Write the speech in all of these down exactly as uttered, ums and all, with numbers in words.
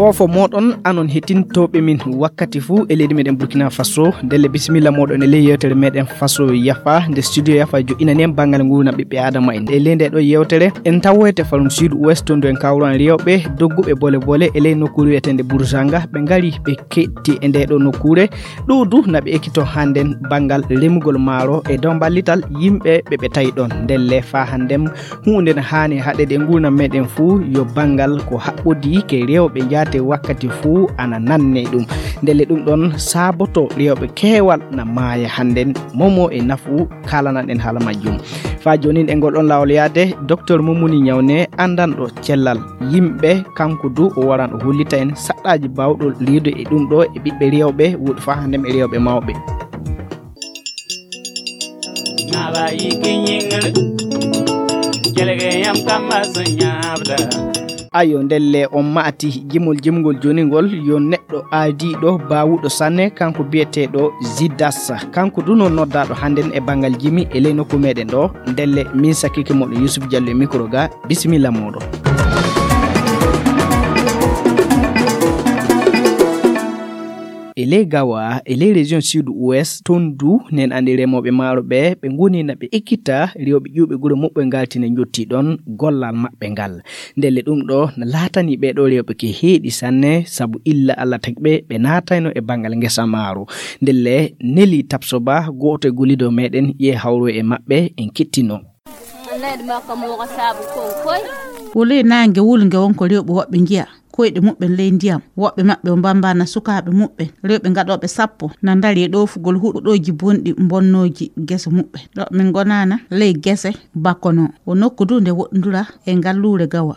Ofo mooɗon anon hettintooɓe min wakkati fuu e leydi meɗen Burkina Faso. Ndelle bisimilla mooɗon e ley yewtere meɗen Faso Yafa, nde studio Yafa joɗɗinani en banngal nguurndam ɓiɓɓe Aadama en. E ley nde ɗo yewtere, en tawoyte farum Sud Ouest, to ndu en kawran rewɓe dogguɓe bole bole e ley nokkuure wiyeteende Burzanga. Ɓe ngari ɓe ketti e nde ɗo nokkuure. Ɗo du na ɓe ekkito hannden banngal remugol maaro e dow ballital yimɓe ɓe ɓe tawi ɗon. Ndelle faa hannden huunde ne haani haɗeede e nguurndam meɗen fuu yo banngal ko haɓɓodii ke rewɓe njaate wakkati fuu ana nanne ɗum. Ndelle ɗum ɗon saaboto rewɓe keewal na maaya hannden. Momo e nafu kaalanaɗen haala majjum. Faa jooni e ngol ɗon laawol yaade, Docteur Mumuni Ñawne, anndanɗo cellal yimɓe, kanko du o waran o hollita en saɗɗaaji baawɗo riiwde e ɗum ɗo e ɓiɓɓe rewɓe, woɗi faa hannden e rewɓe mawɓe. Ayo, ndelle on maati jimol jimgol jooni ngol, yo neɗɗo aadiiɗo baawuɗo sanne, kanko biyeteeɗo Zidas. Kanko du noon noddaaɗo hannden e banngal jimi e ley nokku meɗen ɗo. Ndelle min sakkiike moɗo Yusuf Diallo e micro ga. Bisimilla mooɗon. E ley Gawa, e ley région Sud Ouest, toon du, nen anndi remooɓe maaro ɓe, ɓe ngoni na ɓe ekkita rewɓe ƴuwɓe gure muɓɓe ngalti ne njotti ɗon gollal maɓɓe ngal. Ndelle ɗum ɗo na laatani ɓee ɗo rewɓe ke heeɗi sanne, sabu illa Alla tagi ɓe, ɓe naatayno e banngal ngesa maaro. Ndelle Neli Tapsoba, gooto e gollido meɗen, ye hawro e maɓɓe, en kettino. Wole naange wulnge won ko rewɓe woɓɓe njiya koyɗe muɓɓen ley ndiyam. Woɓɓe maɓɓe o mbambaana sukaaɓe muɓɓen, rewɓe gaɗooɓe sappo, na ndari e ɗoofugol huɗooji bonɗi mbonnooji gese muɓɓen. Ɗo min ngonaana ley gese Bakono. O nokku du nde woɗndura e ngalluure Gawa.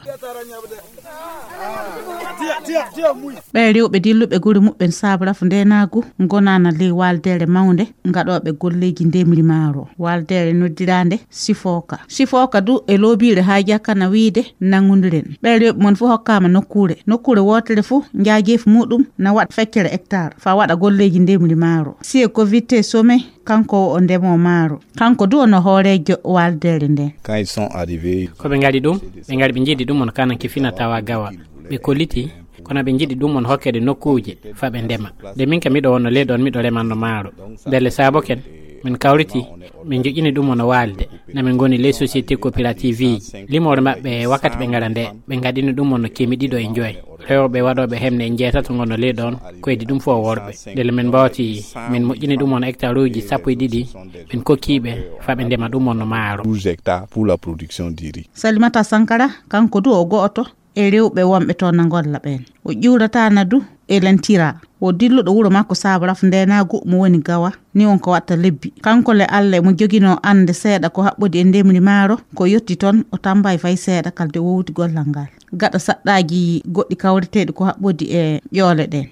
Ɓee rewɓe dilluɓe gure muɓɓen saabu rafu ndeenaagu ngonaana ley waaldeere mawnde gaɗooɓe golleeji ndemri maaro. Waaldeere noddiraande Sifooka. Sifooka du e loobiire haa jakkana wiide nanngondiren. Ɓee rewɓe mon fof hokkaama nokkuure. Nokkuure wootere fof njaajeefu muɗum na waɗa feccere hectare faa waɗa golleeji ndemri maaro. Siye ko wittee Some, kanko o ndemoo maaro. Kanko du o no hooreejo waaldeere nden. Quand ils sont arrivés, ko ɓe ngari ɗum, ɓe ngari ɓe njiɗi ɗum on kanan ke fina tawa Gawa. Ɓe kolliti, kono ɓe njiɗi ɗum on hokkede nokkuuje faa ɓe ndema. Nde min kam miɗo wonno ley ɗon, miɗo remanno maaro. Ndelle saabo ken, min kawriti, min joƴƴini ɗum on waalde. Na min ngoni ley société coopérative ji. Limoore maɓɓe wakkati ɓe ngara nde, ɓe ngaɗini ɗum on kemi ɗiɗo e njoy. Rewɓe waɗooɓe hemne e njeetato ngono ley ɗon, ko edi ɗum fof worɓe. Ndelle min mbawti, min moƴƴini ɗum on hectare uji sappo e ɗiɗi, min kokki ɓe faa ɓe ndema ɗum on maaro. Douze hectares pour la production du riz. Salimata Sankara, kanko du o go'oto e rewɓe wonɓe toon na ngolla ɓeen. O ƴuurataana du e lentira. O dilluɗo wuro makko saabu rafu ndeenaagu mo woni Gawa, ni won ko watta lebbi. Kanko le Alla mo joginoo annde seeɗa ko haɓɓodi e ndemri maaro, ko yotti toon o tammbay fay seeɗa kalde wowdi gollal ngal. Gaɗa saɗɗaaji goɗɗi kawreteeɗi ko haɓɓodi e ƴoole ɗeen.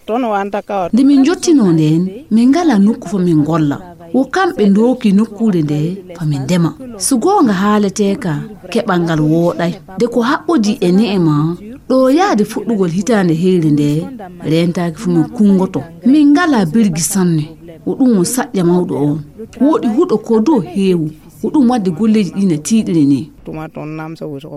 Nde min njottinoo ndeen, min ngalaa nokku fo min ngolla. Wo kamɓe ndooki nokkuure nde fa min ndema. So goonga haaletee ka, keɓal ngal wooɗay. De ko haɓɓodi e ne'e ma, ɗo yaade fuɗɗugol hitaande heyre nde, reentaaki fu min kunngoto. Min ngalaa birgi sanne. Wo ɗum won saƴƴa mawɗo on. Wooɗi huɗo ko do heewu. Ko ɗum waɗde golleeji ɗi na tiiɗiri ni.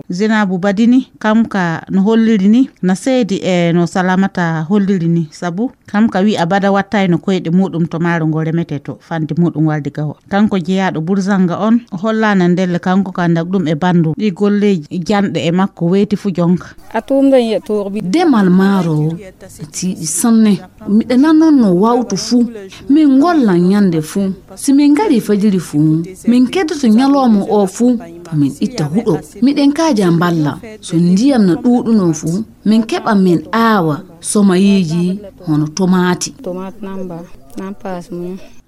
Zinabu Badini, kam ka no holliri ni, na seedi e no Salamata holliri ni, sabu kam ka wi'a bada wattayno koyɗe muɗum to maaro ngo remetee to fande muɗum walde Gawa. Kanko jeyaaɗo Burzanga on, o hollaana ndelle kanko ka ndak ɗum e bandu. Ɗi golleeji janɗe e makko weyti fu jonka. Demal maaro tiiɗi sanne. Miɗa nanonno wawtu fuu. Min ngollan ñande fuu. Si min ngari fajiri fuu, min keddoto ñalooma o fuu. Fa min itta huɗo. Miɗen kaaja mballa. So ndiyam na ɗuuɗuno fuu, min keɓa min aawa somayeeji hono tomaati.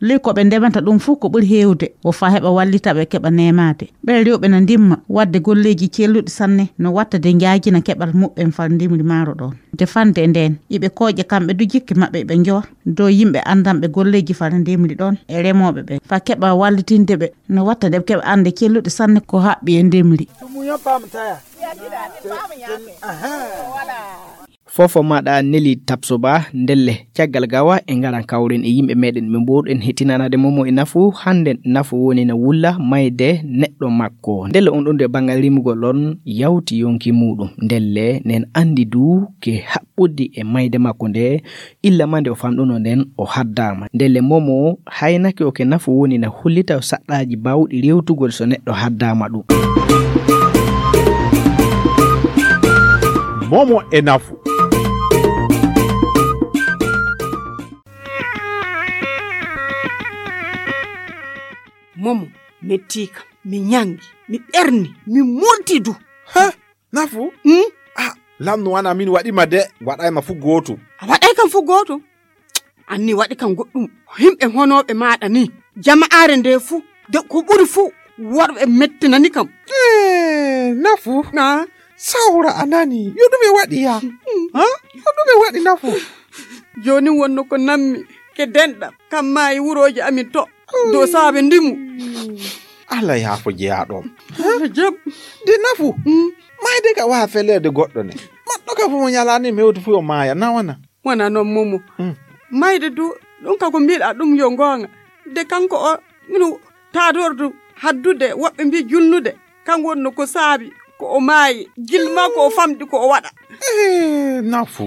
Ley ko ɓe ndemata ɗum fuu ko ɓuri heewde, wo faa heɓa wallita ɓe keɓa neemaade. Ɓee rewɓe na ndimma waɗde golleeji celluɗi sanne, no watta de njaajina keɓal muɓɓen fal ndimri maaro ɗoon. Defande e ndeen, iɓe kooƴa kamɓe du jikke maɓɓe, iɓe njowa dow yimɓe anndanɓe golleeji fal ndimri ɗoon e remooɓe ɓe, faa keɓa wallitinde ɓe, no watta de ɓe keɓa annde celluɗe sanne ko haɓɓi e ndimri. Fofo maɗa neli tapsoba ndelle caggal gawa e ngaran kawren e yimɓe meɗen ɓe mboɗen hettinanade momo e nafu hannden nafu woni na wulla mayde neɗɗo makko ndelle on ɗon de banngal rimugol on yawti yonki muɗum ndelle nen andi du ke haɓɓuddi e mayde makko nde illa ma nde o famɗuno nden o haddama ndelle momo haynake o ke nafu woni na hullita o saɗɗaji bawɗi rewtugol so neɗɗo haddama ɗum. Momo e nafu. Momo mettiika mi ñangi mi ɓerni mi murti du. Ha nafu? Hmm? Ah, lamnu wana min waɗima de waɗayma fu gootum. A waɗay kam fu gootum. Anni waɗi kam goɗɗum himɓe honooɓe maaɗa ni jama'aare nde fuu de ko ɓuri fuu worɓe mettinani kam. Eh, nafu ah. Sawra a nani yo ɗume waɗi ya ha yo ɗume waɗi nafu. Jooni wonno ko nammi ke denɗam kam maayi wurooji amin to dow saabe ndimu. Allah yaafo jeyaaɗo jam. Nde nafu mayde ka waha feleede goɗɗo ne maɗɗo ka fof mo ñalaani mewti fuyo maaya nawana. Wona noon momo mayde du ɗum ka ko mbiɗa ɗum yo goonga de kanko o mino taadordu haddude woɓɓe mbi julnude kan wonno ko saabi ko o maayi gilma ko o famɗi ko o waɗa. Eh, nafu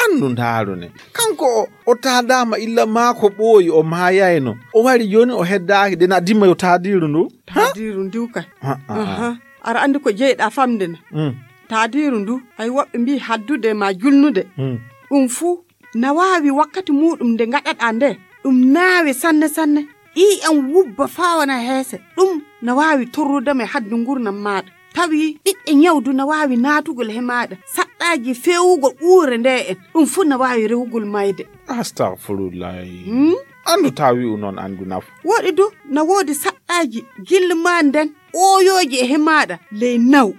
andu ndaaru ne kanko o o taadaama illa maako ɓooyi o maayayno o wari jooni o heddaaki de na dimma yo taadiiru ndu. Taadiiru ndiw kay. A'a. A'a. Aɗa anndi ko jeyɗaa famde na? Mm. Taadiiru ndu, hay woɓɓe mbii haddude ma julnude. Mm. Ɗum fuu na waawi wakkati muuɗum nde ngaɗaɗaa nde, ɗum naawe sanne sanne. Ƴiiƴam wubba faa wona heese. Ɗum na waawi torrude ma e haddu nguurndam maaɗa. Tawi ɓiɓɓe ñawdu na waawi naatugol he maaɗa. Saɗɗaaji feewugol uure nde en. Ɗum fuu na waawi rewugol mayde. Astagfirullahi. Hmm? Anndu taa wi'u noon anndu nafu. Woɗi du, na woodi saɗɗaaji gilli maa nden ooyooji e hemaaɗa ley naw.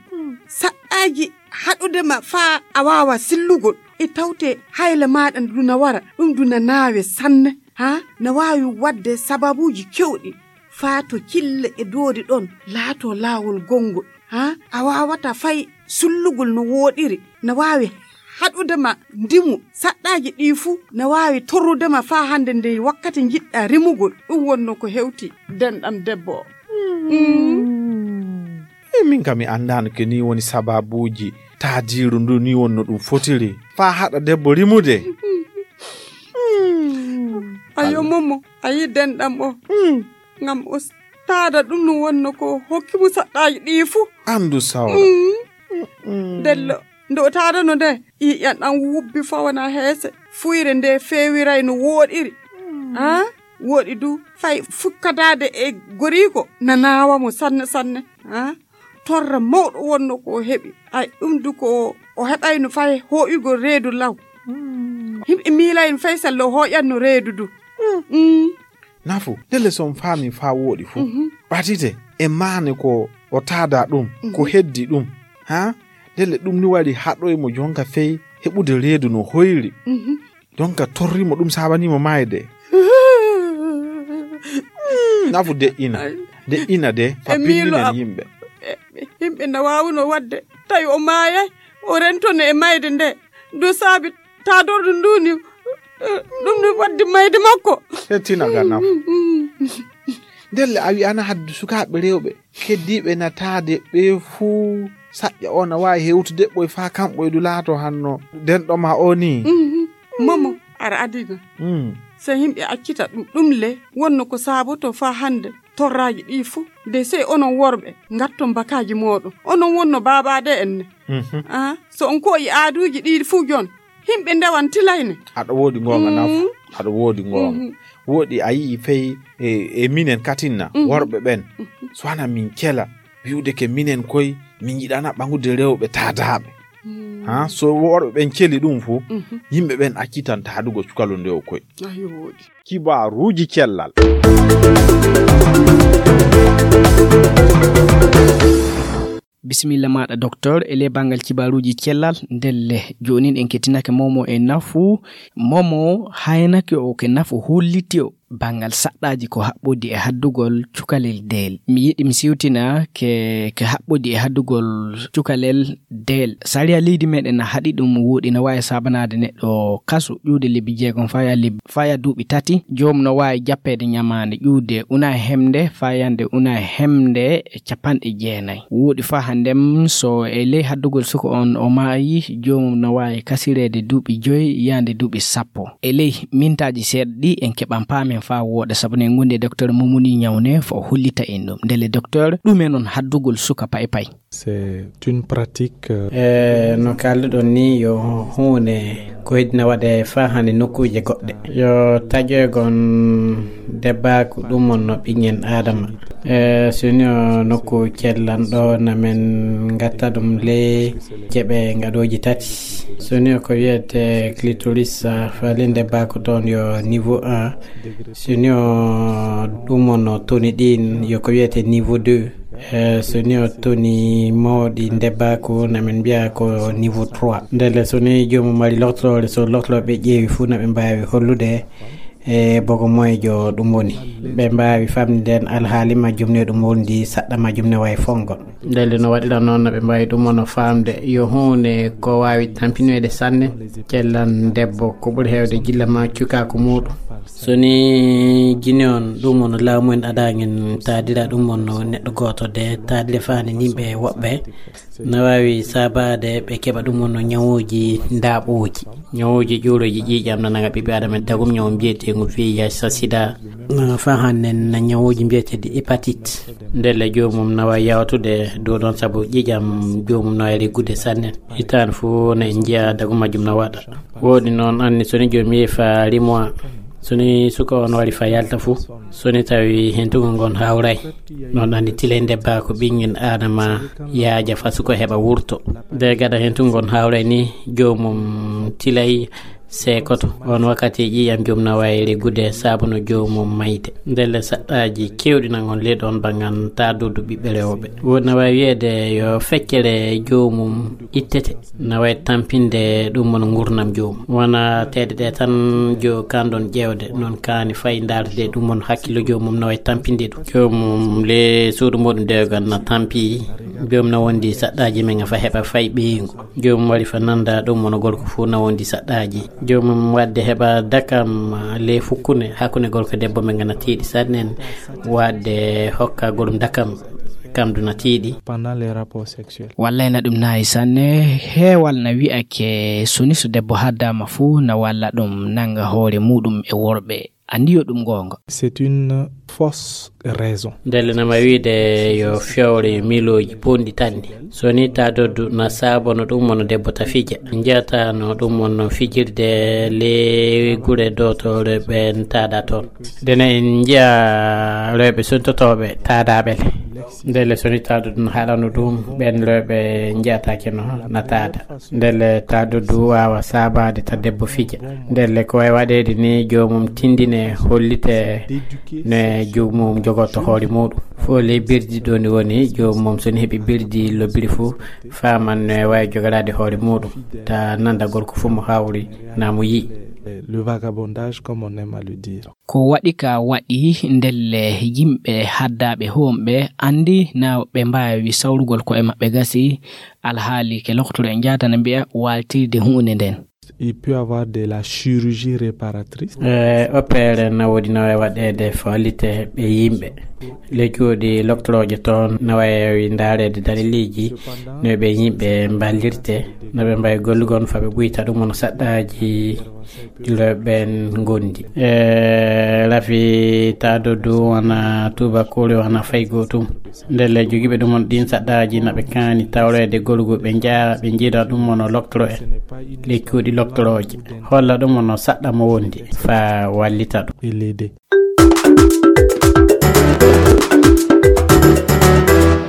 Saɗɗaaji haɗude ma faa a waawa sillugol. E tawte hayle maaɗa ndu na wara, ɗum ndu na naawe sanne. Haa na waawi waɗde sababuuji kewɗi faa to kille e doori ɗoon laatoo laawol gonngol. Haa a waawata fay sullugol no wooɗiri. Na waawi haɗude ma ndimu saɗɗaaji ɗii fuu na waawi torrude ma faa hannde ndey wakkati njiɗɗaa rimugol. Ɗum wonnoo ko hewti denɗam debbo o. E min kam mi anndaano ke nii woni sababuuji taadiiru ndu nii wonno ɗum fotiri faa haɗa debbo rimude. Ayo momo a yi denɗam o. Ngam o taada ɗum no wonno ko hokki mo saɗɗaaji ɗii fuu. Anndu sawra. Mm. Dello nde o taadano nde ƴiiƴan ɗan wubbi fawana heese. Fuyre nde feewiray no wooɗiri. Ah, wooɗi du fay fukkadaade e goriiko na naawa mo sanne sanne. Ah, torra mawɗo wonno ko o heɓi. Ay ɗum du ko o heɓayno fay hooƴugol reedu law. Himɓe miilayno fay sello o hooƴanno reedu du. Nafu ndelle so on faami faa wooɗi fuu ɓatite e maane ko o taadaa ɗum ko heddi ɗum haa ndelle ɗum ni wari haɗoy mo jonka fey heɓude reedu no hoyri jonka torri mo ɗum saabanii mo maayde. Nafu deƴƴina deƴƴina de fa pinninen yimɓe. Yimɓe na waawuno waɗde tawi o maayay o rentono e mayde nde ndu saabi taadordu ndu ni ɗum ɗum waddi mayde makko. Hettina ga nafu. Ndelle a wi'ana haddu sukaaɓe rewɓe keddiiɓe na taade ɓe fuu saƴƴa o na waawi hewtude ɓoy faa kamɓoy du laato hanno denɗo ma o nii. Momo ara adina. Se yimɓe accita ɗum ɗum le wonno ko saaboto faa hannde torraaji ɗii fuu de sey onon worɓe ngatton bakaaji mooɗon onon wonno baabaaɗe en ne. Ah, so on koyi aaduuji ɗii fuu jon himɓe ndewan tilayne. Aɗa woodi ngoonga nafu aɗa woodi ngoonga woodi a yii fey e, e minen katinna worɓe ɓen so hana min kela wi'ude ke minen koy min yiɗana ɓaŋude rewɓe taadaaɓe. Ha so worɓe ɓen celi ɗum fuu yimɓe ɓen accitan taadugol cukalo nde o koy. Ayo woodi. Kibaaruuji cellal. Bisimilla maɗa docteur e le bangal kibaruji cellal ndelle jonin en kettinake momo e nafu momo haynake o ke nafu holliti o. banngal saɗɗaaji ko haɓɓodi e haddugol cukalel deel. Mi yiɗi mi siwtina ke, ke haɓɓodi e haddugol cukalel deel. Sariya leydi meɗen na haɗi ɗum, woɗi na waawi sabanaade neɗɗo kasu ƴuude lebbi jeegom faya leb-, faya duuɓi tati. Joom no waawi jappeede ñamaande ƴuude una e hemde fayande una e hemde e capanɗe jeenayi. Woɗi faa hannden so e ley haddugol suka on o maayi, joomum no waawi kasireede duuɓi joyi yaande duuɓi sappo. E ley mintaaji seeɗa ɗi en keɓan paamen faa wooɗa, sabu ne ngondi e docteur Momoni Ñawne fo hollita en ɗum. Ndelle docteur, ɗume non haddugol suka pay pay? C'est une pratique, euh, E no kaalduɗon ni, yo huunde ko heddina waɗe faa hannde nokkuuje goɗɗe. Yo taƴoygon debbaku ɗum on no ɓiŋŋen Aadama. E so ni o nokku cellan ɗo, na men ngatta ɗum le jeɓe ngaɗooji tati. So ni o ko wiyete clitoris, a, faalin debbaku toon yo niveau un. So ni o ɗum on no toni ɗin yo ko wiyete niveau deux. E so ni o toni mawɗi debbaku, na men mbiya ko niveau trois. Ndelle so ni joomum mari loktoroore, so loktoroɓe ƴeewi fuu, na ɓe mbaawi hollude e bogo moyejo ɗum woni. Ɓe mbaawi famde nden alhaali majjum ne ɗum wondi saɗɗa majjum ne wayi fongol. Ndelle no waɗira noon, na ɓe mbaawi ɗum ono faamde yo huunde ko waawi tampinoyde sanne cellan debbo, ko ɓuri heewde gilla ma cukaaku muuɗum. So ni jini on ɗum ono laamu en adaa ngen taadira ɗum ono neɗɗo gooto de taadire faani nimɓe woɓɓe, na waawi saabaade ɓe keɓa ɗum ono ñawuuji ndaaɓooji. Ñawuuji ƴuurooji ƴiiƴam na naga ɓiɓɓe Aadama dagum, ñawu mbiyeteengu V I H, sida. Na faa hannen na ñawuuji mbiyeteeɗi hépatite. Ndelle joomum na waawi yawtude dow ɗon sabu ƴiiƴam joomum na waawi reggude sanne. Hitaande fuu na en njiya dagum majjum na waɗa. Woɗi noon anni so ni joomum yehi faa rimowa, so ni suka on wari faa yalta fuu, so ni tawi hentugol ngon hawray, noon anni tilay debbaku ɓiŋŋen Aadama yaaja faa suka heɓa wurto. Nde gada hentugol ngon hawray ni, joomum tilay seekoto. On wakkati ƴiiƴam joom na waawi reggude sabu no joomum mayde. Ndelle saɗɗaaji keewɗi nan on ley ɗon banngal taadoddu ɓiɓɓe rewɓe. Woɗi na waawi wiyeede yo feccere joomum ittete. Na waawi tampinde ɗum won ngurnam joomum. Wona teede ɗe tan jo kanɗon ƴeewde, noon kaani fay ndaarde ɗum won hakkillo joomum na waawi tampinde ɗum. Joomum le suudu muɗum dewgal na tampi, joom na wondi saɗɗaaji men a fa heɓa fay ɓeyngu. Joomum wari fa nanda ɗum won gorko fuu na wondi saɗɗaaji. Joomum waɗde heɓa dakam le fukkune hakkunde gorko debbo men ngana tiiɗi sanne en waɗde hokka gorum dakam kam du na tiiɗi. Pendant les rapports sexuels. Wallay na ɗum naayi sanne, heewal na wi'ake so ni so debbo haddaama fuu na walla ɗum nannga hoore muuɗum e worɓe. Anndi yo ɗum goonga. C'est une fausse raison. Ndelle na ma wiide yo fewre milooji bonɗi tanni. So ni ta doddu na saabono ɗum wona debbo ta fija. Njiyata no ɗum wonno fijirde le gure dotore ɓen taada toon. Ndene en njiya rewɓe suntotooɓe taadaaɓe le. Ndelle so ni ta doddu no haɗano ɗum ɓen rewɓe njiyataake no na taada. Ndelle ta doddu waawa saabaade ta debbo fija. Ndelle ko wayi waɗeede ni joomum tindine hollite ne joomum jogorto hoore muuɗum. Fof le birdi ɗo ni woni joomum so ni heɓi birdi lobbiri fuu faaman ne wawi jogaraade hoore muuɗum. Ta nanda gorko fuu mo hawri na mo yi'i. Le vagabondage, comme on aime à le dire. Ko waɗi ka waɗi ndelle yimɓe haddaaɓe hoomɓe anndi na ɓe mbaawi sawrugol ko'e maɓɓe gasi alhaali ke loktoro e njaatana mbiya waaltirde huunde nden. Il peut avoir de la chirurgie réparatrice. E opere na woodi na wawi waɗeede faalite ɓe yimɓe. Le cuuɗi loktorooje toon na wawi ndaareede daliliiji no ɓe yimɓe mballirte, no ɓe mbawi gollugon fa ɓe ɓuyta ɗum on saɗɗaaji ɗiloɓen ngondi. E rafi ta doddu wona tubakoore wona fay gootum. Ndelle jogiiɓe ɗum on ɗin saɗɗaaji na ɓe kaani tawreede golgu ɓe njaara ɓe njiida ɗum on o loktoro en. Le cuuɗi loktorooje holla ɗum on o saɗɗa mo wondi fa wallita ɗum. Et l'aider.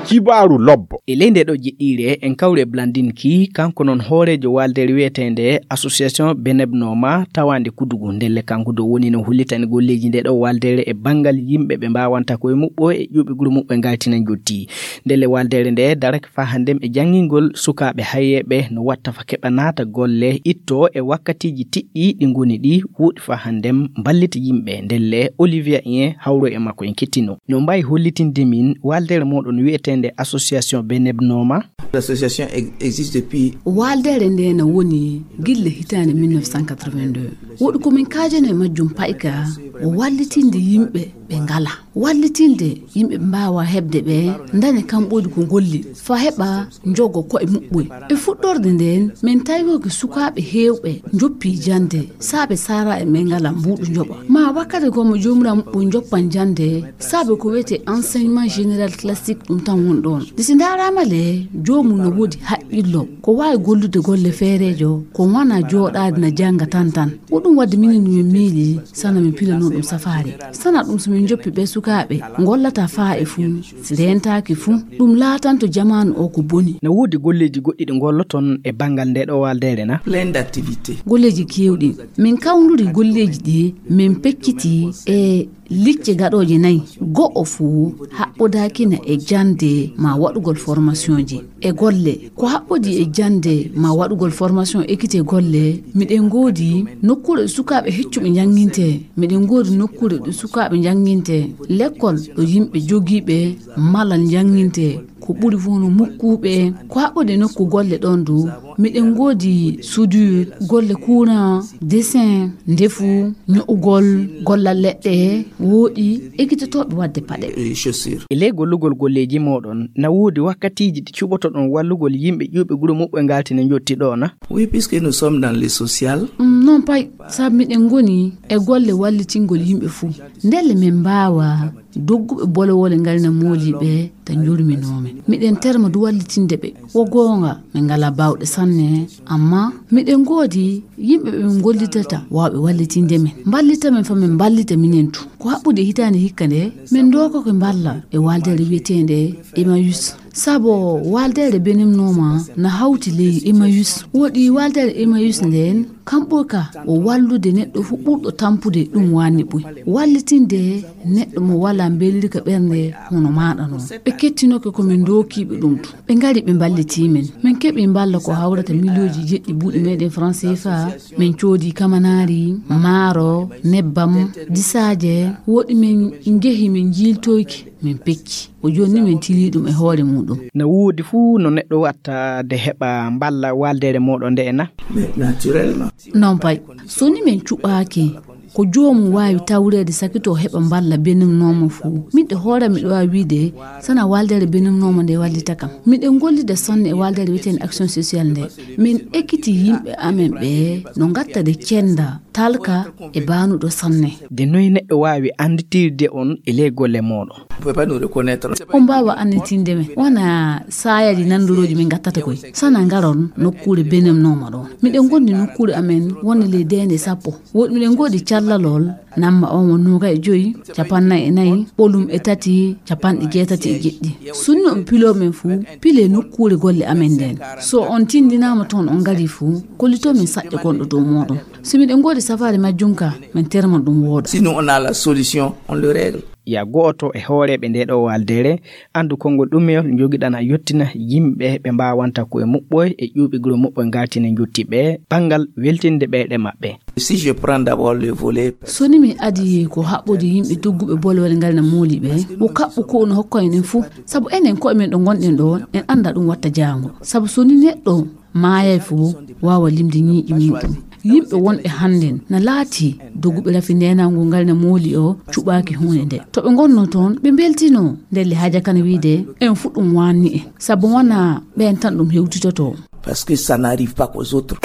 Kibaaru lobbo. E ley nde ɗo jiɗɗiire, en kawri e Blandine Ki, kanko noon hooreejo waaldeere wiyeteende Association Benebnoma tawaande Kudugu. Ndelle kanko dow woni no hollitani golleeji nde ɗo waaldeere e banngal yimɓe ɓe mbaawanta koye muɓɓo e ƴuuɓi guro muɓɓe ngaltina njotti. Ndelle waaldeere nde darake faa hannden e janngingol sukaaɓe hayeeɓe no watta fa keɓa naata golle, itto e wakkatiiji tiɗɗi ɗi ngoni ɗi, wuuɗi faa hannden mballita yimɓe. Ndelle Olivia Ien hawro e makko en kettino. No mbaawi hollitinde min waaldeere mooɗon wiyeteende Association Benebnoma? L'association ex-, existe depuis. Waaldeere nde na woni gille hitaande mille neuf cent quatre-vingt-deux. Woɗi ko min kaajano e majjum payka o wallitinde yimɓe ɓe ngala. Wallitinde yimɓe ɓe mbaawa heɓde ɓe ndaña kamɓoɗi ko golli fa heɓa njogo koye muɓɓoy. E fuɗɗorde nden, min tawi ko sukaaɓe heewɓe njoppi jannde, saabe saara e ɓe ngala mbuuɗu njoɓa. Ma wakkati ko mo joomiraa muɓɓoy njoppan jannde, saabe ko wiyetee enseignement général classique ɗum tan won ɗoon. Nde si ndaaraama le, joomum no woodi haqqillo, ko waawi gollude golle feereejo, ko wanaa jooɗaade na jannga tan tan. Ko ɗum waɗde minen no min miili, sana min pilano ɗum safaari. Sana ɗum so min njoppi ɓe sukaaɓe, ngollata faa e fuu, si reentaaki fuu, ɗum laatanto jamaanu o ko boni. Na woodi golleeji goɗɗi ɗi ngolloton e banngal nde ɗo waaldeere na? Plein d'activités. Golleeji keewɗi. Min kawnduri golleeji ɗi, min pecciti e licce gaɗooje nayi. Go'o fuu haɓɓodaakina e jannde ma waɗugol formationji. E golle, ko haɓɓodi e jannde ma waɗugol formation ekite golle, miɗen ngoodi nokkuure ɗo sukaaɓe heccuɓe njanngintee. Miɗen ngoodi nokkuure ɗo sukaaɓe njanngintee. Lekkol ɗo yimɓe jogiiɓe malal njanngintee. Ko ɓuri fof no mukkuuɓe. Ko haɓɓodi e nokku golle ɗoon du, miɗen ngoodi soudure, golle courant, dessin, ndefu, ño'ugol, gollal leɗɗe, wooɗi, ekitotooɓe waɗde paɗe. Et chaussures. E ley gollugol golleeji mooɗon, na woodi wakkatiiji ɗi cuɓotoɗon wallugol yimɓe ƴuuɓe guro muɓɓe ngaltina njotti ɗo na? Oui, puisque nous sommes dans le social. Mm, noon pay, sabu miɗen ngoni e golle wallitingol yimɓe fuu. Ndelle min mbaawa dogguɓe bolowole ngalina mooliiɓe ta njurminoomi. Miɗen terma du wallitinde ɓe. Wo goonga, min ngalaa baawɗe sanne, amma miɗen ngoodi yimɓe ɓe min ngollidata waawɓe wallitinde min. Mballita min fa min mballita minen tu. Ko haɓɓude hitaande hikka nde, min ndookake mballa e waaldeere wiyeteende Emmaüs. Sabo waaldeere benimnooma na hawti ley Emmaüs. Woɗi waaldeere Emmaüs ndeen, kamɓo ka o wallude neɗɗo fuu ɓurɗo tampude ɗum waanni ɓuy. Wallitinde neɗɗo mo walaa mbellirka ɓernde hono maaɗa noon. Ɓe kettinoke ko min ndookiiɓe ɗum tu. Ɓe ngari ɓe mballitii min. Min keɓi mballa ko hawrata miliyooji jeɗɗi buuɗi meeɗen franc C F A. Min coodi kamanaari, maaro, nebbam, disaaje, woɗi min njehi min njiiltoyki, min pecci. O jooni min tilii ɗum e hoore muuɗum. Na woodi fuu no neɗɗo watta de heɓa mballa waaldeere mooɗon nde na? Mais naturellement. Noon pay, so ni min cuɓaaki, ko joomum waawi tawreede sakito heɓa mballa benimnooma fuu. Miɗo hoore miɗo waawi wiide, sana waaldeere benimnooma nde wallita kam. Miɗen ngollida sanne e waaldeere wiyeteende action sociale nde. Min ekkiti yimɓe amen ɓe no ngatta de cennda, talka e baanuɗo sanne. De noy neɗɗo waawi annditirde on e ley golle mooɗon? Vous pouvez pas nous reconnaître. On mbaawa annitinde men. Wona saayaji nanndorooji min ngattata koy. Sana ngaron nokkuure benimnooma ɗon. Miɗen ngondi nokkuure amen wonde ley deende sappo. Woɗi miɗen ngoodi callalol, namma on won noogay e joyi, capannay e nayi, ɓolum e tati, capanɗe jeetati e jeɗɗi. Sunni on piloo men fuu, pilee nokkuure golle amen nden. So on tindinaama toon on ngarii fuu, kollitoo min saƴƴe gonɗo dow mooɗon. Si miɗen ngoodi safaari majjum ka, min terman ɗum wooɗa. Si nous on a la solution, on le règle. Ya gooto e hooreeɓe nde ɗo waaldeere, anndu konngol ɗumeyol njogiɗan a yottina yimɓe ɓe mbaawanta koye muɓɓoy e ƴuuɓi guro muɓɓoy ngaltina njotti ɓe banngal weltinde ɓeyɗe maɓɓe. Si je prends d'abord le volet. So ni mi adii ko haɓɓodi yimɓe dogguɓe bolwal ngal na mooli ɓe, wo kaɓɓu ko no hokkoy enen fuu. Sabu enen koye men ɗo ngonɗen ɗo, en annda ɗum watta jaango. Sabu so ni neɗɗo maayay fuu, waawa limde ñiiƴi muɗum. Yimɓe wonɓe hannden na laati doguɓe rafi neenaangu ngal na mooli o cuɓaaki huunde nde. To ɓe ngonnoo toon, ɓe mbeltinoo. Ndelle haaja kana wiide, en fuu ɗum waanni en. Sabu wonaa ɓeen tan ɗum hewtitotoo. Parce que ça n'arrive pas qu'aux autres.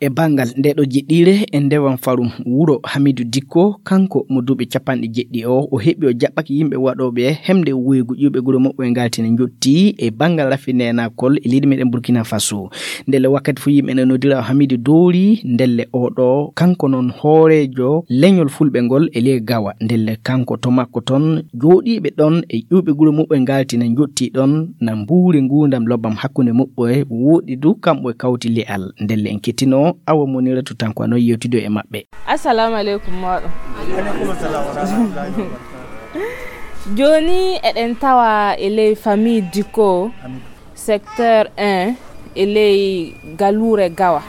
E banngal nde ɗo jiɗɗiire e ndewan farum wuro Hamidu Dikko, kanko mo duuɓi capanɗe jeɗɗi o, o heɓi o jaɓɓaki yimɓe waɗooɓe hemde woygu ƴuuɓe gure moɓɓo e ngaltine njotti e banngal rafi nenakol e leydi meɗen Burkina Faso. Ndelle wakkati fof yimɓe ne nodira o Hamidu Doori, ndelle oɗo kanko noon hooreejo leñol fulɓe ngol e ley Gawa. Ndelle kanko to makko toon jooɗiiɓe ɗoon e ƴuuɓe gure muɓɓe ngalti ne njotti ɗoon na mbuuri nguurndam lobbam hakkunde muɓɓe woɗɗi du kamɓe kawti le'al. Ndelle en kettino Awa Monira to tanko ano yewtido e maɓɓe. Assalamu aleykum moɗo. Jooni eɗen tawa e ley famille Diko, secteur un, e ley galuure Gawa.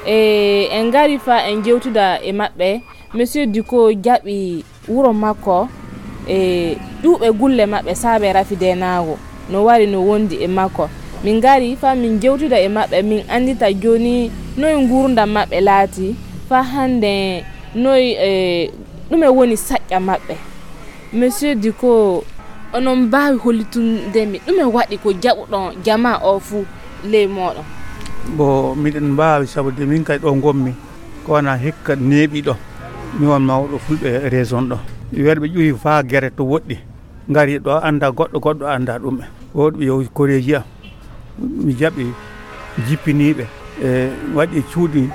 E en ngari fa en jewtida e maɓɓe. Monsieur Diko jaɓi wuro makko e ƴuuɓe gulle maɓɓe saabe rafi deenaago no wari no wondi e makko. Min ngari fa min jewtida e maɓɓe, min anndita jooni noy nguurndam maɓɓe laati, fa hannde noy, e, ɗume woni saƴƴa maɓɓe. Monsieur Diko, onon mbaawi hollitunde mi ɗume waɗi ko jaɓuɗon jamaa o fuu ley mooɗon? Bo miɗen mbaawi, sabu de min kay ɗo ngonmi, ko wona hikka neeɓi ɗo. Mi won mawɗo fulɓe région ɗo. Werɓe ƴuwi faa gere to woɗɗi. Ngari ɗo annda goɗɗo, goɗɗo annda ɗum. Woɗɓe yo koreeji am. Mi jaɓi jippiniiɓe, e waɗi cuuɗi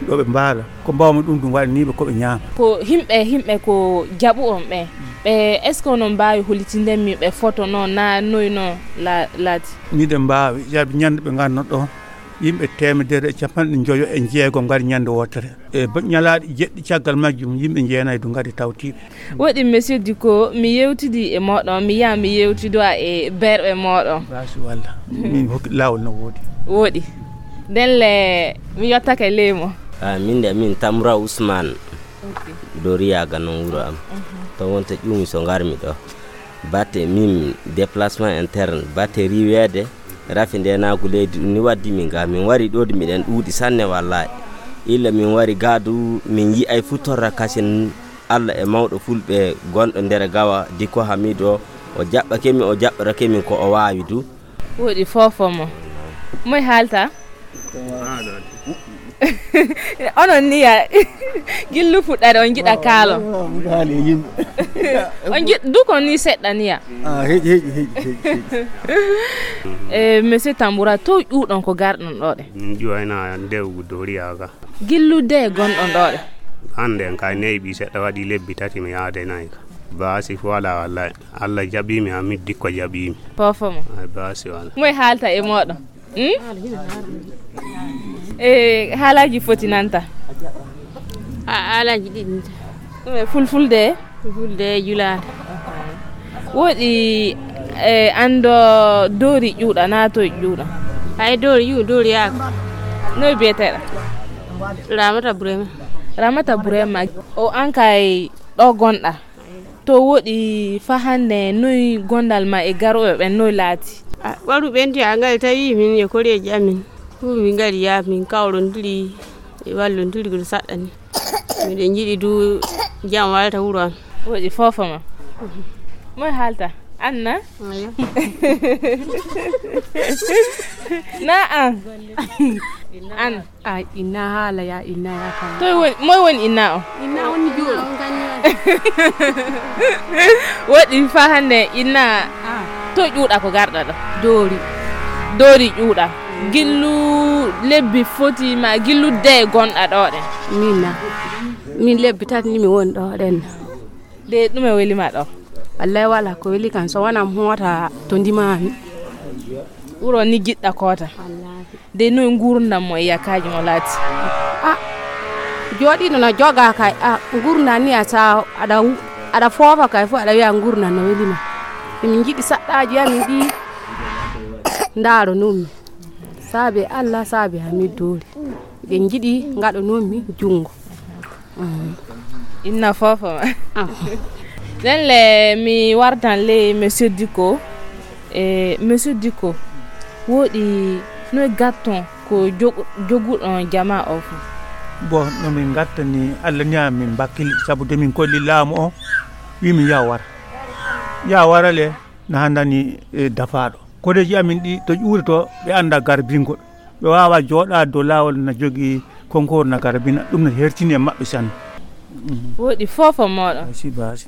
ɗo ɓe mbaala. Ko mbawmi ɗum, ɗum waɗaniiɓe ko ɓe ñaama. Ko himɓe, himɓe ko jaɓu on ɓe. Ɓe, est-ce que onon mbaawi hollitinde mi ɓe foto noon, na noy noon la-, laati? Miɗen mbaawi, jaɓi ñande ɓe ngarno ɗo. Yimɓe teemedere e capanɗe njoyo e jeego ngari ñande wootere. E ba-, ñalaaɗe jeɗɗi caggal majjum, yimɓe jeenayi du ngari tawtiiɓe. Woɗi, Monsieur Diko, mi yewtidi e moɗon, mi yaha mi yewtidoya e berɓe moɗon. Basi walla. Min hokki laawol no woodi. Woɗi. Ndelle, mi yottake leymo. Ah, min de, min Tamra Ousmane. Ok. Doriyaga non wuro am. Mhm. To wonta ƴuumi so ngarmi ɗo. Batte min déplacement interne, batte riweede, rafi ndeenaagu leydi, ɗum ni waddi min ga. Min wari ɗo de miɗen ɗuuɗi sanne wallahi. Illa min wari ga du, min yi'ay fu torra kasin Allah e mawɗo fulɓe gonɗo nder Gawa, Diko Hamidu o, o jaɓɓake min, o jaɓɓorake min ko o waawi du. Woɗi fofo mo. Moy haalta? Onon niya, gillu fuɗɗare on jiɗa kaalon. On jiɗ-, du kon ni seɗɗa niya. Ah, heƴi, heƴi, heƴi, heƴi, heƴi. Eh, Monsieur Tamboura, to ƴuuɗon ko garɗon ɗo ɗe? Min ƴuwayna ndewgu Doriyaga. Gillu de gonɗon ɗo ɗe? Hannde en kay neeɓi seɗɗa, waɗi lebbi tati mi yaadaynayi ka. Baasi fu wala wallahi. Allah jaɓi mi, Hamidu Dikko jaɓi mi. Fofo mo. Ay, baasi wala. Moy haalta e moɗon? Hmm? E haalaaji foti nanta? A, haalaaji ɗiɗi nanta. Ɗum e fulfulde? Fulfulde e julaade. Woɗi, e, anndo doori ƴuuɗa, na toy ƴuuɗa? Ay, doori ƴuuɗa, doori yaaka. Noy biyeteɗa? Ramata Burema. Ramata Burema. O an kay ɗo gonɗa? To woɗi fa hannde, noy gondal ma e garooɓe ɓen, noy laati? A, waru ɓenti a ngari tawi min e koreeji amin. Fu min ngari ya min kawrondiri e wallondiri ko saɗɗani. Miɗen njiɗi du jam walta wuro am. Woɗi fofo ma. Moy haalta? Anna? Ayo. Na an? An? A, inna haala ya, inna ya kala. Toy woni, moy woni inna o? Inna woni jooɗo. Woɗi fa hannde inna. Ah. To ƴuuɗa ko garɗa ɗo? Doori. Doori ƴuuɗa. Gillu lebbi foti ma gillu de gonɗa ɗo ɗen? Min na. Min lebbi tati ni mi woni ɗo ɗen. De ɗume weli ma ɗo? Wallahi wala ko weli kan so wona moota to ndimami. Wuro ni jiɗɗa koota. Wallahi. De noy nguurndam mo e yakaaji mo laati? A, jooɗiiɗo no jogaa kay. A, nguurndam ni a sa aɗa wu-, aɗa foofa kay fof aɗa wiya nguurndam no weli ma. Emin njiɗi saɗɗaaji amin ɗi ndaaro noon mi. Saabe Allah, saabe Hamidu Doori. Eɗen njiɗi ngaɗo noon mi junngo. Mm. Inna fofo ma. Ah. Nden le mi wartan le Monsieur Diko. E, Monsieur Diko, woɗi noy gatton ko jogu-, joguɗon jama o fu? Bon, no min gattani, Allah ni amin bakkili, sabu de min kolli laamu o, wi min ya wara. Ya wara le, na handani, e, dafaɗo. Koreeji amin ɗi to ƴuuri to, ɓe annda garbingol. Ɓe waawa jooɗaade dow laawol na jogii Konkoor na kara bina ɗum na hertini e maɓɓe sanne. Woɗi fof o moɗon. Asi basi.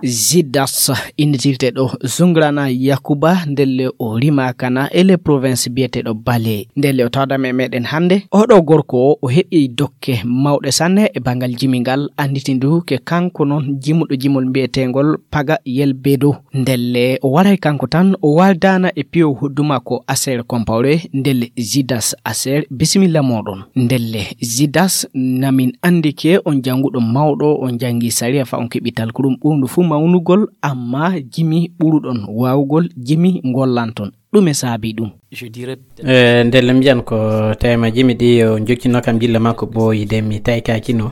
Zidas innitirte ɗo Zungrana Yakuba ndelle o rimakana e le province biyeteɗo Bale. Ndelle o tawdam e meɗen hannde. Oɗo gorko o, o heɓi dokke mawɗe sanne e bangal jimingal, anditindu ke kanko noon jimuɗo jimol mbiyetengol Paga Yelbedo. Ndelle o waray kanko tan, o waldana e piyo hodduma ko Aser Kompawre. Ndelle Zidas Aser, bisimilla moɗon. Ndelle Zidas, namin andi ke on janguɗo mawɗo, on jangi sariya fa on keɓi talkuɗum ɓurndu fu mawnugol, amma jimi ɓuruɗon wawugol jimi gollanton. Ɗume saabi ɗum? Eh, ndelle mbiyan ko tema jimi ɗi o jokkino kam gilla makko ɓooyi de mi taykakino.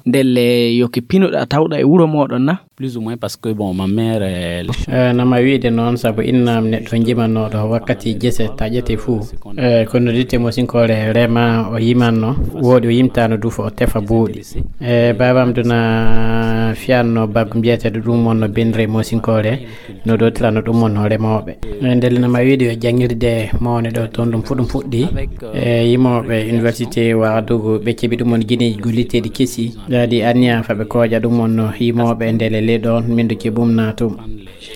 Ndelle yoki pinoɗa tawɗa e wuro moɗon na? Plus ou moins parce que bon, ma mère. Eh, nama wiide noon sabu innam neɗɗo jimannoɗo wakkati jese taƴete fuu. Eh, kono ditte mo sinkore rema o yimanno, woɗi o yimtano du fo o tefa buuɗi. Eh, babam duna fiyanno baggu mbiyeteɗo ɗum wonno benre mo sinkore. No ɗo tirano ɗum wonno remooɓe. Eh, ndelle nama wiide yo jangirde mawne ɗo toon ɗum fu ɗum fuɗɗi. Eh, yimooɓe université waɗugo ɓe keɓi ɗum won gineeji golliteeɗi kesi. Daadi anniya fa ɓe kooƴa ɗum wonno yimooɓe ndele le ɗoon min ɗo keɓum naatum.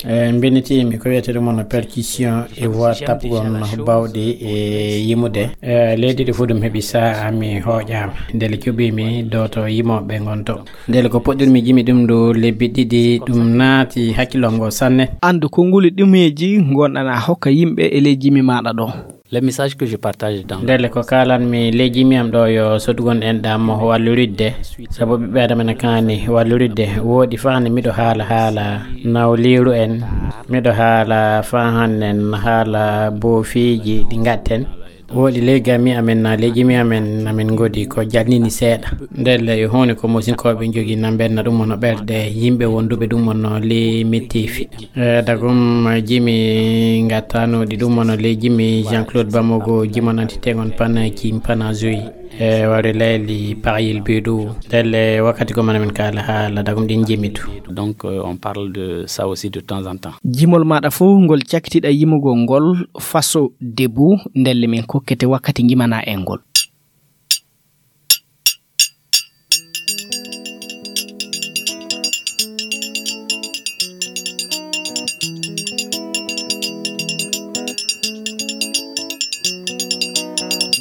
Eh, mbinitiimi ko wiyete ɗum wonno percussion e voix taɓgol bawɗi e yimude. Eh, leydi ɗi fu ɗum heɓi sa'a mi hooƴaama ndele cuɓiimi ɗo to yimooɓe ngon to. Ndele ko puɗɗirmi jimi ɗum ɗo lebbi ɗiɗi, ɗum naati hakkillo ngo sanne. Anndu ko nguli ɗumeeji ngonɗana hokka yimɓe e ley jimi maaɗa ɗo. Le message que je partage dans ndele ko kalanmi ley jimi am ɗo yo sodugol enɗam walluridde, sabu ɓiɓɓe adama ne kaani walluridde. Woɗi faa nde miɗo haala haala nawliiru en, miɗo haala faa hannen haala boofiiji ɗi ngaɗten. Woɗi ley gami amen na ley jimi amen amen ngodi ko jalnini seeɗa. Ndelle e huunde ko musinkooɓe njogii na mbenna ɗum wonno ɓerɗe yimɓe wonduɓe ɗum wonno ley mettifi. Eh, dagum jimi ngattanoɗi ɗum wonno ley jimi Jean Claude Bamogo jimon antitegon pana jim pana joyi. E wari layli paxyil bidu. Ndelle wakkati ko mana min kaala haala dagum ɗin jimitu. Donc euh, on parle de ça aussi de temps en temps. Jimol maɗa fof ngol cakkitiɗa yimugol ngol faso debu. Ndelle min kokkete wakkati jimana en ngol.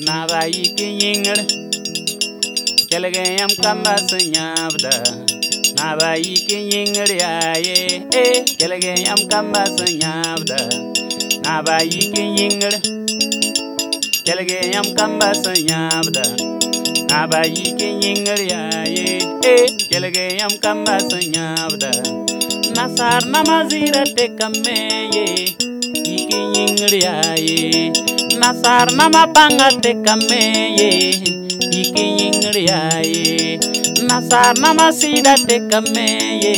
Naba yiki yingir kelege yam kamba sanyabda. Naba yiki yingir yaye eh kelege yam kamba sanyabda. Naba yiki yingir kelege yam kamba sanyabda. Naba yiki yingir yaye eh kelege yam kamba sanyabda. Nasar namazira te kameye. Iki yingri aye. Nasar nama panga te kameye. Iki yingri aye. Nasar nama sida te kameye.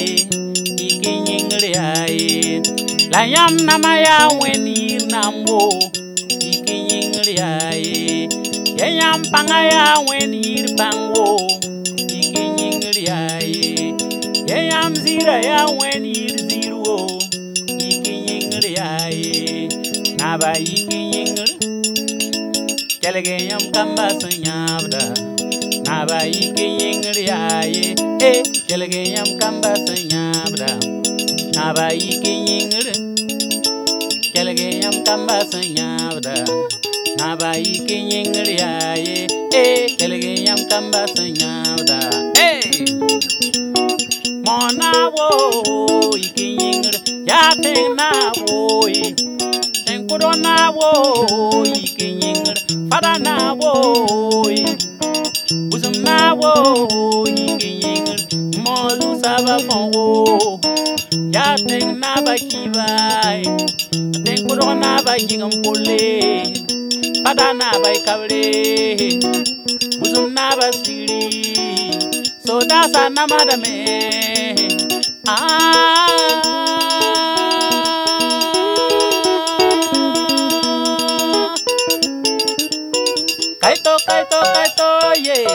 Iki yingri aye. Layam nama ya wen yir nambo. Iki yingri aye. Yeyam panga ya wen yir pango. Iki yingri aye. Yeyam zira ya wen yir zirwo. Iki yingri aye. Naba iki yingri. Kelege yam kamba sanyabda. Naba iki yingri aye. Eh, kelege yam kamba sanyabda. Naba iki yingri. Kelege yam kamba sanyabda. Naba iki yingri aye. Eh, kelege yam kamba sanyabda. Hey! Mona wo iki yingri. Ya teng na wo i. Teng kudo na wo iki yingri. Fada na wo i. Busum na wo iki yingri. Molu saba pon wo. Ya teng na ba kibai. Teng kudo na ba kingam pole. Fada na ba kabre. Busum na ba siri. So dasa na madame. Ah. Kaito, kaito, kaito, yeah.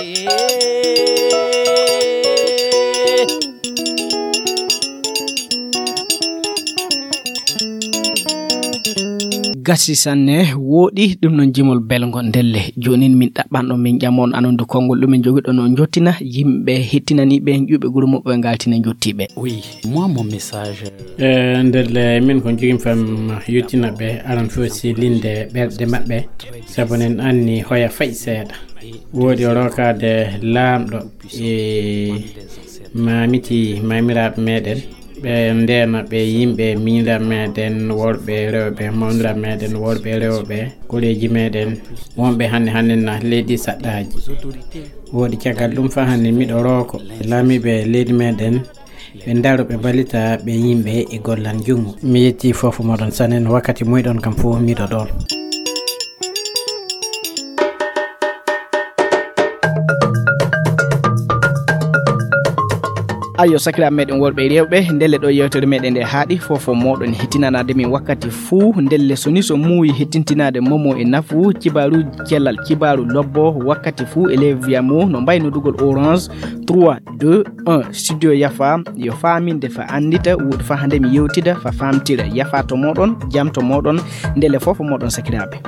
Gasi sanne, wooɗi ɗum noon jimol belngo ndelle. Joonin min ɗaɓɓanɗo min ƴamon anondu konngol ɗumen jogiɗo no jottina yimɓe hettinaniiɓe ƴuuɓe guro muɓɓe ngaltina jottiiɓe. Oui, moi mon message. E ndelle min ko jogim fam yottina ɓe aran fof si linde ɓerɗe maɓɓe, sabu nen anni hoya fay seeɗa. Wooɗi o rokaade laamɗo e mamiti mamiraaɓe meɗen, ɓe ndeena ɓe yimɓe miñiraaɓe meɗen worɓe rewɓe, mawniraaɓe meɗen worɓe rewɓe, koreeji meɗen wonɓe hannde hannde na leydi saɗɗaaji. Wooɗi caggal ɗum fa hannde miɗo rooko laamiiɓe leydi meɗen ɓe ndaro ɓe mballita ɓe yimɓe e gollal njunngu. Mi yetti fof moɗon sanen wakkati muyɗon kam fof miɗo ɗoon. Ayo sakiraaɓe meɗen worɓe e rewɓe, ndelle ɗo yewtere meɗen nde haaɗi, fof o moɗon hettinanaade min wakkati fuu. Ndelle so ni so muuyi hettintinaade momo e nafu, kibaaruuji cellal, kibaaru lobbo wakkati fuu e ley wiyamo no mbaynodugol Orange trois deux un. Studio Yafa yo faaminde fa anndita, wuuɗi fa hannde mi yewtida fa faamtira. Yafa to moɗon, jam to moɗon, ndelle fof o moɗon sakiraaɓe.